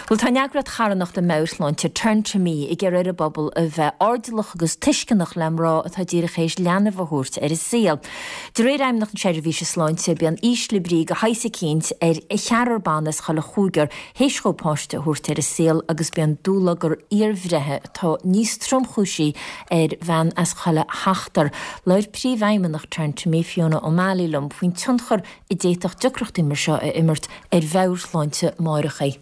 Bhuel, tá an eagraíocht charthanachta meabhairshláinte Turn to Me ag iarraidh ar an bpobal a bheith airdeallach agus tuisceanach le mná atá díreach théis leanbh a thabhairt ar an saol. De réir Fheidhmeannacht na Seirbhíse Sláinte, bíonn ísle brí de shaghas eicínt ar cheathrar ban as chuile chúigear théis dhóibh páiste a thabhairt ar an saol agus bíonn dúlagar iarbhreithe atá níos tromchúisí ar bhean as chuile sheachtar. Labhair Príomhfheidhmeannach Turn to Me, Fiona O'Malley liom faoin tionchar a d'fhéadfadh deacrachtaí mar seo a imirt ar mheabhairshláinte máithreacha.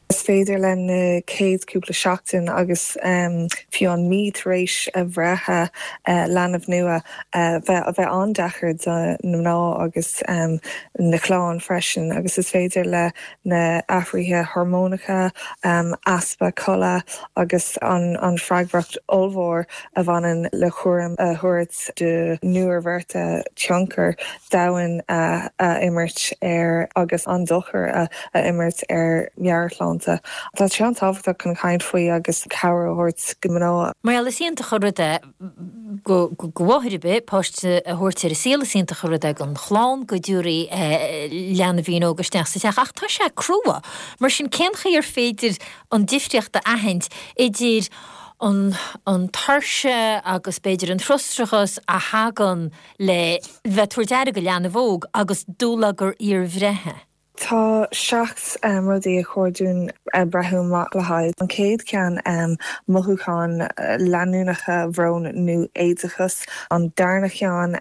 Is féidir le na chéad cúpla seachtain agus fiú an mí tar éis a bhreithe leanbh nua bheith a bheith an-deacair do na mná agus na clann freisin agus is féidir le na athruithe hormónacha, easpa codladh agus an freagracht ollmhór a bhaineann le cúram a thabhairt do nuabheirthe tionchar domhain a imirt ar agus an-dochar a imirt ar mheabhairshláinte. Tá sé an-tábhachtach chun caint faoi agus cabhair a thabhairt do mhná. Mar gheall, is iontach an rud é do mháthair ar bith páiste a thabhairt ar an saol, is iontach an rud é don chlann go dtiúrfaidh leanbhín óg isteach sa teach, ach tá sé crua. Mar sin, cén chaoi ar féidir an difríocht a aithint idir an an tuirse agus b'fhéidir an frustrachas a thagann le bheith ag tabhairt aire do leanbh óg agus dúlagar iarbhreithe. Tá 7 rudaí a chóir dúinn breathnú amach le haghaidh. An chéad cheann, mothúcháin leanúnacha bhróin nó éadóchas. An darna ceann,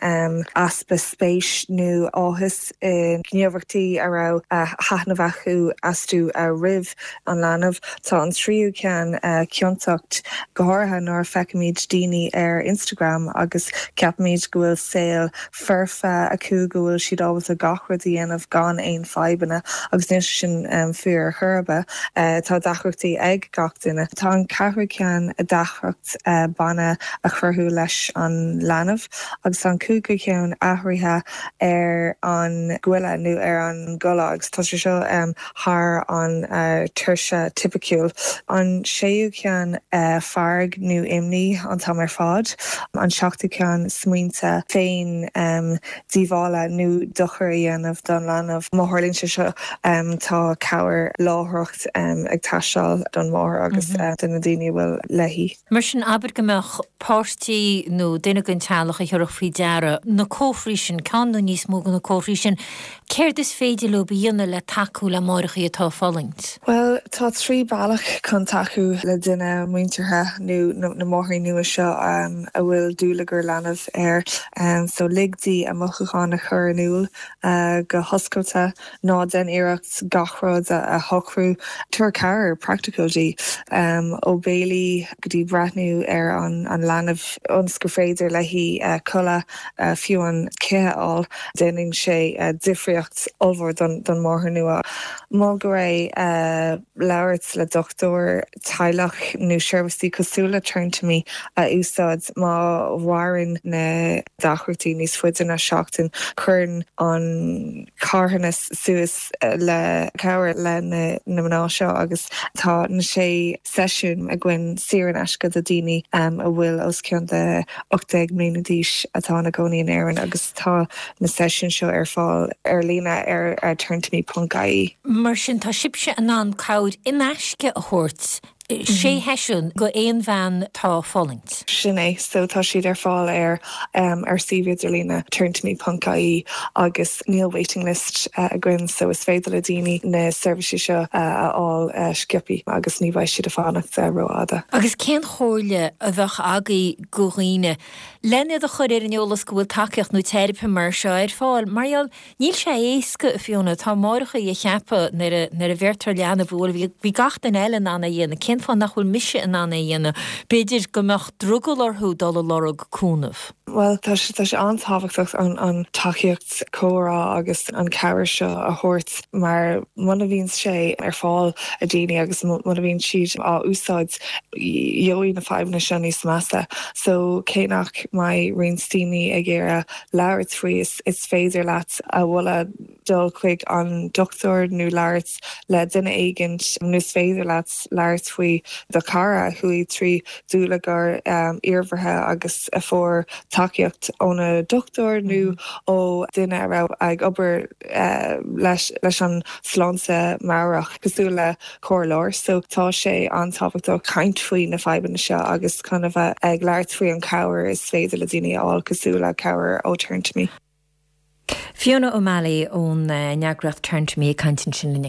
easpa spéis nó áthas i ngníomhaíochtaí a raibh taitneamh acu astu roimh an leanbh. Tá an tríú ceann, ciontacht, go háirithe nuair a feicimid daoine ar Instagram agus ceapaimid go bhfuil saol foirfe acu, go bhfuil siad ábalta gach rud a dhéanamh gan aon fadhbanna, agus níl sé sin fíor ar chor ar bith. Tá deacrachtaí ag gach duine. Tá an ceathrú ceann, deacracht banna a chruthú leis an leanbh, agus tá an cúigiú ceann, athruithe ar an gcoille nó ar an gcodladh, agus tá sé seo thar an tuirse tipiciúil. An séú ceann, fearg nó imní an t-am ar fad. An seachtú ceann, smaointe féin díobhála nó dochar a dhéanamh don leanbh. Má tharlaíonn sé seo, tá cabhair láithreach ag teastáil don mháthair agus do na daoine a bhfuil léi. Mar sin, abair go mbeadh páirtí nó duine den teaghlach a thabharfadh faoi deara na comharthaí sin, ceann nó níos mó de na comharthaí sin, céard is féidir leo a dhéanamh le tacú le máithreacha atá ag fulaingt? Bhuel, tá 3 bealach chun tacú le duine muinteartha nó na máithrí nua seo a bhfuil dúlagar leanbh air. So, lig di a mothúcháin a chur in iúl go hoscailte. Ná déan iarracht gach rud a shocrú. Tabhair cabhair praiticiúil di, ó béilí go dtí breathnú ar an leanbh ionas gur féidir léi codladh, fiú an cith a fháil. Déanann sé difríocht ollmhór don mháthair nua. Mol go réidh labhairt le dochtúir teaghlach nó seirbhísí cosúil le Turn to Me a úsáid má mhaireann na deacrachtaí níos faide ná seachtain. Cuireann an carthanas suas le cabhair le na mná seo agus tá na sé seisiún againn saor in aisce do daoine a bhfuil os cionn de 18 mbliana d'aois atá ina gcónaí in Éirinn agus tá na seisiúin seo ar fáil ar líne ar turntome ponc ie. Mar sin tá sibhse in ann cabhair in aisce a thabhairt 6 sheisiún go aon bhean tá fulaingt. Sin é. So tá siad ar fáil ar ár suíomh idirlíne turntome ponc ie agus níl waiting list againn so is féidir le daoine na seirbhísí seo a fháil sciobthaí agus ní bheidh siad ag fanacht rófhada. Agus cén chomhairle a bheadh agaibh go dhaoine len iad a chur ar an eolas go bhfuil tacaíocht nó teiripe mar seo ar fáil? Mar gheall Níl sé éasca, a Fiona. Tá máithreacha ag ceapadh nuair a, nuair a bheirtear leanbh, bhuel, bhí, bhí gach duine eile in ann é a dhéanamh, cén fáth nach bhfuil mise in ann é a dhéanamh? B'fhéidir go mbeadh drogall orthu dul ag lorg cúnamh. Bhuel, tá sé, tá sé an-tábhachtach an, an tacaíocht comhrá agus an cabhair seo a thabhairt mar muna bhíonn sé ar fáil ag daoine agus muna bhíonn siad á úsáid, gheobhaidh na fadhbanna seo níos measa. So, cé nach mbeidh roinnt daoine ag iarraidh labhairt faoi, is féidir leat a mholadh dul chuig an dochtúir nó labhairt le duine éigin nó is féidir leat labhairt faoi. faoi do chara a chuaigh trí dúlagar iarbhreithe agus a fuair tacaíocht óna dochtúir nó ó duine a raibh ag obair leis leis an sláinte meabhrach, cosúil le comhairleoir. So tá sé an-tábhachtach caint faoi na fadhbanna seo agus chun a bheith ag labhairt faoi an chabhair is féidir le daoine a fháil cosúil le cabhair ó Turn to Me. Fiona O'Malley ón eagraíocht Turn to Me ag caint ansin linn.